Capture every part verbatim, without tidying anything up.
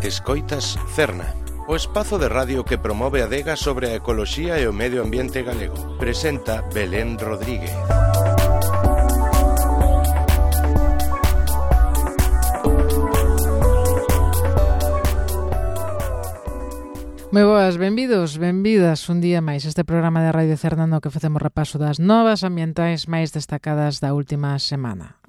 Escoitas Cerna, o espazo de radio que promove a adega sobre a ecoloxía e o medio ambiente galego. Presenta Belén Rodríguez. Moi boas, benvidos, benvidas un día máis este programa de Radio Cerna no que facemos repaso das novas ambientais máis destacadas da última semana.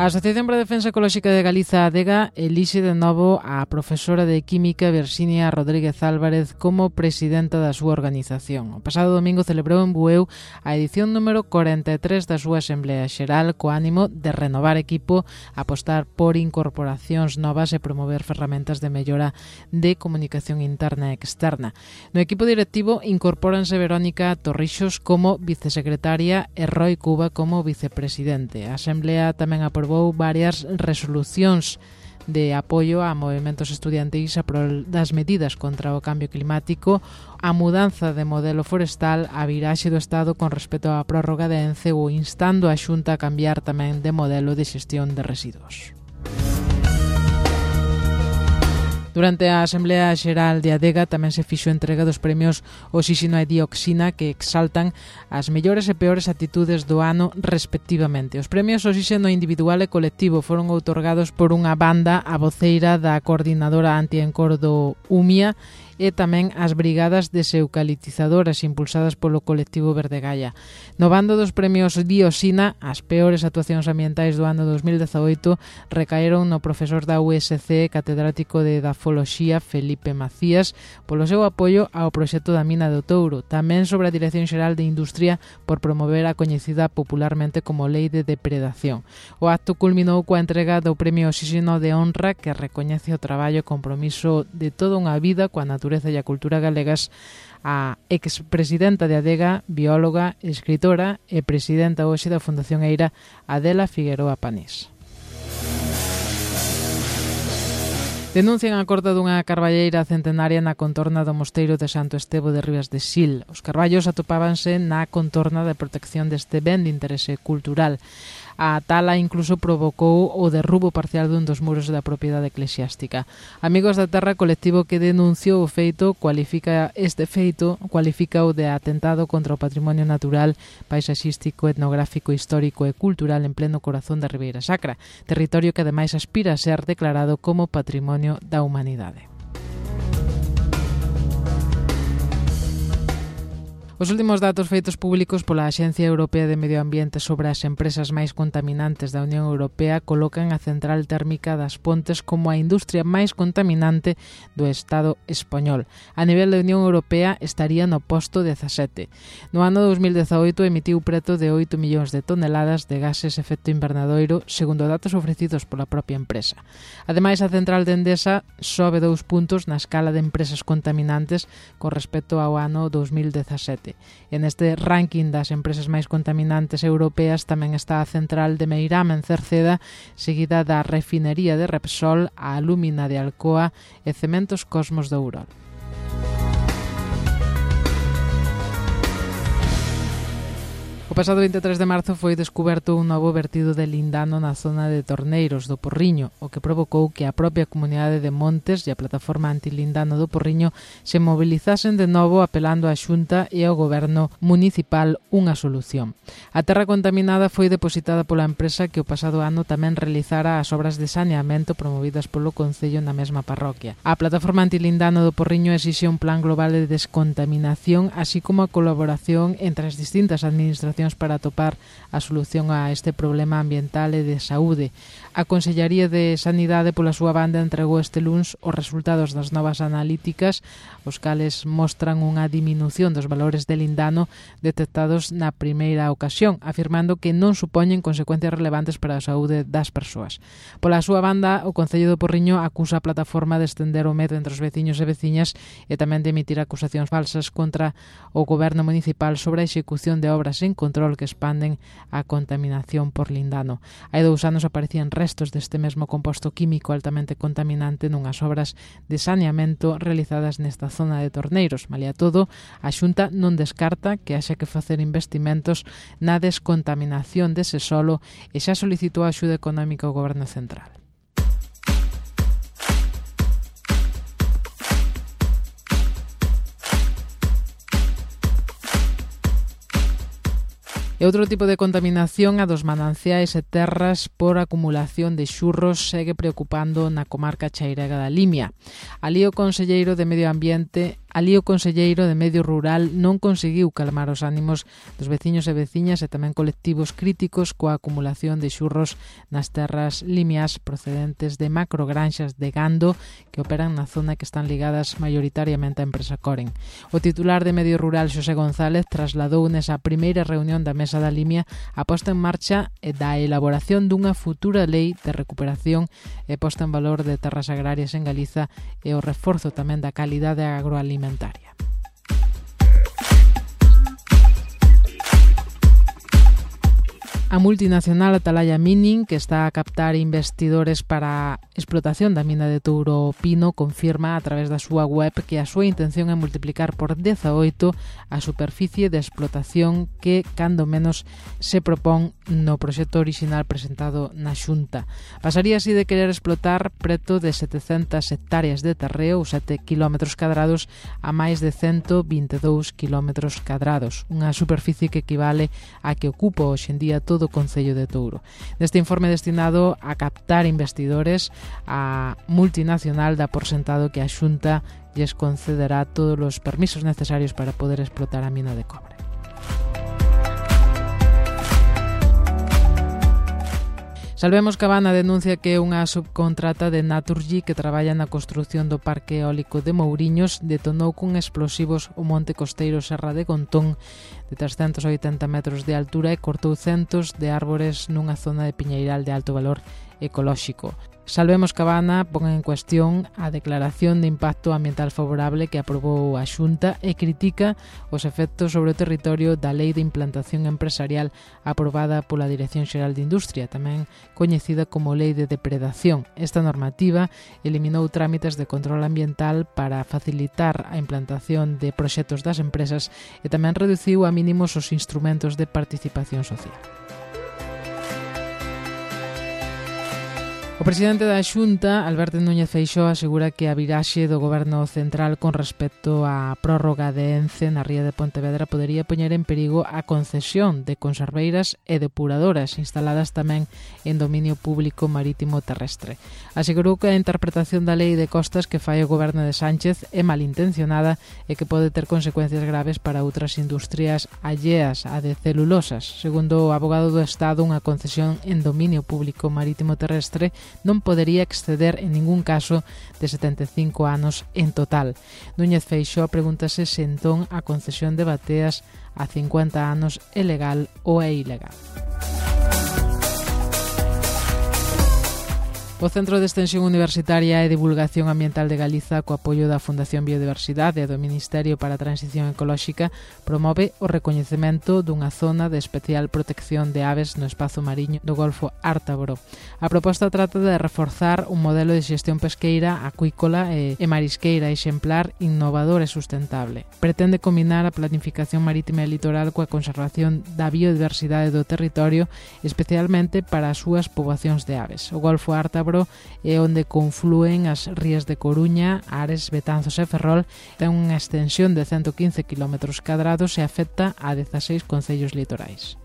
A Asociación para a Defensa Ecolóxica de Galiza, ADEGA, elixe de novo a profesora de Química Virxinia Rodríguez Álvarez como presidenta da súa organización. O pasado domingo celebrou en Bueu a edición número cuarenta e tres da súa Asamblea Xeral co ánimo de renovar equipo, apostar por incorporacións novas e promover ferramentas de mellora de comunicación interna e externa. No equipo directivo incorpóranse Verónica Torrixos como vicesecretaria e Roy Cuba como vicepresidente. A Asamblea tamén aprobou varias resolucións de apoio a movimentos estudiantis a prol das medidas contra o cambio climático, a mudanza de modelo forestal, a viraxe do Estado con respecto á prórroga de ENCE ou instando a Xunta a cambiar tamén de modelo de xestión de residuos. Durante a Asamblea Xeral de ADEGA tamén se fixo entrega dos premios Oxíxeno e Dioxina que exaltan as mellores e peores actitudes do ano respectivamente. Os premios Oxíxeno individual e colectivo foron outorgados por unha banda a voceira da coordinadora antiencor do UMIA e tamén as brigadas deseucaliptizadoras impulsadas polo colectivo Verde Gaia. No bando dos premios Dioxina, as peores actuacións ambientais do ano dos mil dezaoito recaeron no profesor da U S C catedrático de Dafoloxía Felipe Macías polo seu apoio ao proxecto da mina do Touro, tamén sobre a Dirección Xeral de Industria por promover a coñecida popularmente como Lei de Depredación. O acto culminou coa entrega do premio Oxíxeno de Honra que recoñece o traballo e compromiso de toda unha vida coa natureza e a cultura galegas a expresidenta de ADEGA, bióloga, escritora e presidenta hoxe da Fundación Eira, Adela Figueroa Panís. Denuncian a corta dunha carballeira centenaria na contorna do mosteiro de Santo Estevo de Ribas de Sil. Os carballos atopábanse na contorna de protección deste ben de interese cultural. A tala incluso provocou o derrubo parcial dun dos muros da propiedade eclesiástica. Amigos da Terra, colectivo que denunciou o feito, cualifica este feito, cualifica o de atentado contra o patrimonio natural, paisaxístico, etnográfico, histórico e cultural en pleno corazón da Ribeira Sacra, territorio que ademais aspira a ser declarado como Patrimonio da Humanidade. Os últimos datos feitos públicos pola Axencia Europea de Medio Ambiente sobre as empresas máis contaminantes da Unión Europea colocan a central térmica das Pontes como a industria máis contaminante do Estado español. A nivel da Unión Europea estaría no posto dezasete. No ano dos mil dezaoito emitiu preto de oito millóns de toneladas de gases efecto invernadoiro, segundo datos ofrecidos pola propia empresa. Ademais, a central de Endesa sobe dous puntos na escala de empresas contaminantes con respecto ao ano dos mil dezasete. En este ranking das empresas máis contaminantes europeas tamén está a central de Meirama en Cerceda, seguida da refinería de Repsol, a alúmina de Alcoa e Cementos Cosmos de Ourol. O pasado vinte e tres de marzo foi descuberto un novo vertido de lindano na zona de Torneiros do Porriño, o que provocou que a propia comunidade de Montes e a plataforma antilindano do Porriño se mobilizasen de novo apelando á Xunta e ao goberno municipal unha solución. A terra contaminada foi depositada pola empresa que o pasado ano tamén realizara as obras de saneamento promovidas polo Concello na mesma parroquia. A plataforma antilindano do Porriño exixe un plan global de descontaminación, así como a colaboración entre as distintas administracións para atopar a solución a este problema ambiental e de saúde. A Consellería de Sanidade, pola súa banda, entregou este luns os resultados das novas analíticas, os cales mostran unha diminución dos valores de lindano detectados na primeira ocasión, afirmando que non supoñen consecuencias relevantes para a saúde das persoas. Pola súa banda, o Concello do Porriño acusa a plataforma de estender o medo entre os veciños e veciñas e tamén de emitir acusacións falsas contra o goberno municipal sobre a execución de obras en control que expanden a contaminación por lindano. Hai dous anos aparecían restos deste mesmo composto químico altamente contaminante nunhas obras de saneamento realizadas nesta zona de Torneiros. Malia todo, a Xunta non descarta que haxa que facer investimentos na descontaminación dese solo e xa solicitou axuda económica ao Goberno Central. E outro tipo de contaminación, a dos mananciais e terras por acumulación de xurros, segue preocupando na comarca chairega da Limia. Alí o conselleiro de Medio Ambiente Alí o conselleiro de Medio Rural non conseguiu calmar os ánimos dos veciños e veciñas e tamén colectivos críticos coa acumulación de xurros nas terras limias procedentes de macrogranxas de gando que operan na zona que están ligadas maioritariamente á empresa Coren. O titular de Medio Rural, Xosé González, trasladou nesa primeira reunión da Mesa da Limia a posta en marcha da elaboración dunha futura lei de recuperación e posta en valor de terras agrarias en Galiza e o reforzo tamén da calidade agroalimentaria. A multinacional Atalaya Mining, que está a captar investidores para a explotación da mina de Touro Pino, confirma a través da súa web que a súa intención é multiplicar por dezaoito a superficie de explotación que, cando menos, se propón no proxecto orixinal presentado na Xunta. Pasaría así de querer explotar preto de setecentas hectáreas de terreo ou sete quilómetros cadrados a máis de ciento vinte e dous quilómetros cadrados, unha superficie que equivale a que ocupa hoxe en día todo do Concello de Touro. Neste informe destinado a captar investidores, a multinacional dá por sentado que a Xunta lles concederá todos os permisos necesarios para poder explotar a mina de cobre. Salvemos Cabana denuncia que unha subcontrata de Naturgy que traballa na construción do parque eólico de Mouriños detonou con explosivos o monte costeiro Serra de Gontón de trescentos oitenta metros de altura e cortou centos de árbores nunha zona de piñeiral de alto valor ecolóxico. Salvemos Cabana pon en cuestión a declaración de impacto ambiental favorable que aprobou a Xunta e critica os efectos sobre o territorio da Lei de Implantación Empresarial aprobada pola Dirección Xeral de Industria, tamén coñecida como Lei de Depredación. Esta normativa eliminou trámites de control ambiental para facilitar a implantación de proxectos das empresas e tamén reduciu a mínimos os instrumentos de participación social. O presidente da Xunta, Alberto Núñez Feixóo, asegura que a viraxe do Goberno Central con respecto á prórroga de Ence na ría de Pontevedra podería poñer en perigo a concesión de conserveiras e depuradoras instaladas tamén en dominio público marítimo terrestre. Asegurou que a interpretación da lei de costas que fai o Goberno de Sánchez é malintencionada e que pode ter consecuencias graves para outras industrias alleas a de celulosas. Segundo o abogado do Estado, unha concesión en dominio público marítimo terrestre non podería exceder en ningún caso de setenta e cinco anos en total. Núñez Feixóo pregúntase se entón a concesión de bateas a cincuenta anos é legal ou é ilegal. O Centro de Extensión Universitaria e Divulgación Ambiental de Galiza, co apoio da Fundación Biodiversidade e do Ministerio para a Transición Ecolóxica, promove o recoñecemento dunha zona de especial protección de aves no espazo mariño do Golfo Ártabro. A proposta trata de reforzar un modelo de xestión pesqueira, acuícola e, e marisqueira exemplar, innovador e sustentable. Pretende combinar a planificación marítima e litoral coa conservación da biodiversidade do territorio, especialmente para as súas poboacións de aves. O Golfo Ártabro é onde conflúen as rías de Coruña, Ares, Betanzos e Ferrol, ten unha extensión de ciento quince quilómetros cadrados e afecta a dezaseis concellos litorais.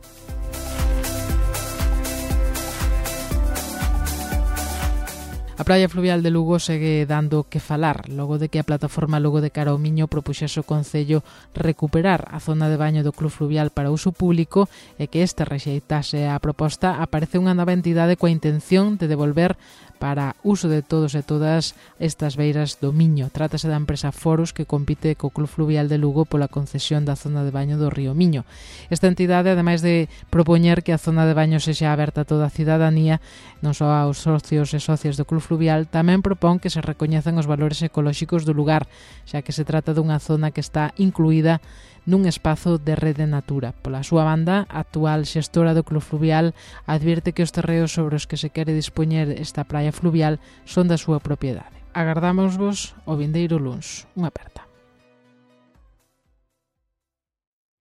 A praia fluvial de Lugo segue dando que falar, logo de que a plataforma Lugo de Cara ao Miño propuxese o Concello recuperar a zona de baño do Club Fluvial para uso público e que este rexeitase a proposta. Aparece unha nova entidade coa intención de devolver para uso de todos e todas estas beiras do Miño. Trátase da empresa Foros, que compite co Club Fluvial de Lugo pola concesión da zona de baño do río Miño. Esta entidade, ademais de propoñer que a zona de baño sexa aberta a toda a cidadanía, non só aos socios e socias do Club Fluvial, tamén propón que se recoñezan os valores ecolóxicos do lugar, xa que se trata dunha zona que está incluída nun espazo de Rede Natura. Pola súa banda, a actual xestora do Club Fluvial advirte que os terreos sobre os que se quere dispoñer esta praia fluvial son da súa propiedade. Agardámosvos o vindeiro luns. Unha aperta.